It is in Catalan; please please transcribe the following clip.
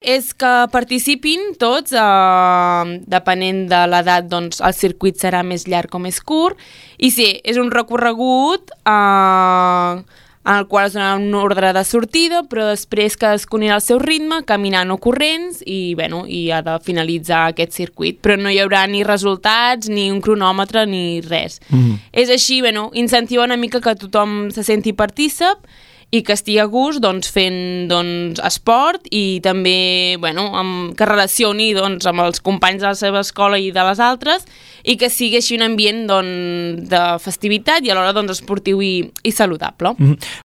És que participin tots, depenent de l'edat, doncs el circuit serà més llarg o més curt, i sí, és un recorregut en el qual es dona un ordre de sortida, però després cadascun irà al seu ritme, caminant o corrents, i ha de finalitzar aquest circuit. Però no hi haurà ni resultats, ni un cronòmetre, ni res. És així, incentivar una mica que tothom se senti partícip, i que estigui a gust fent esport i també que relacioni amb els companys de la seva escola i de les altres, i que sigui així un ambient de festivitat i alhora esportiu i saludable.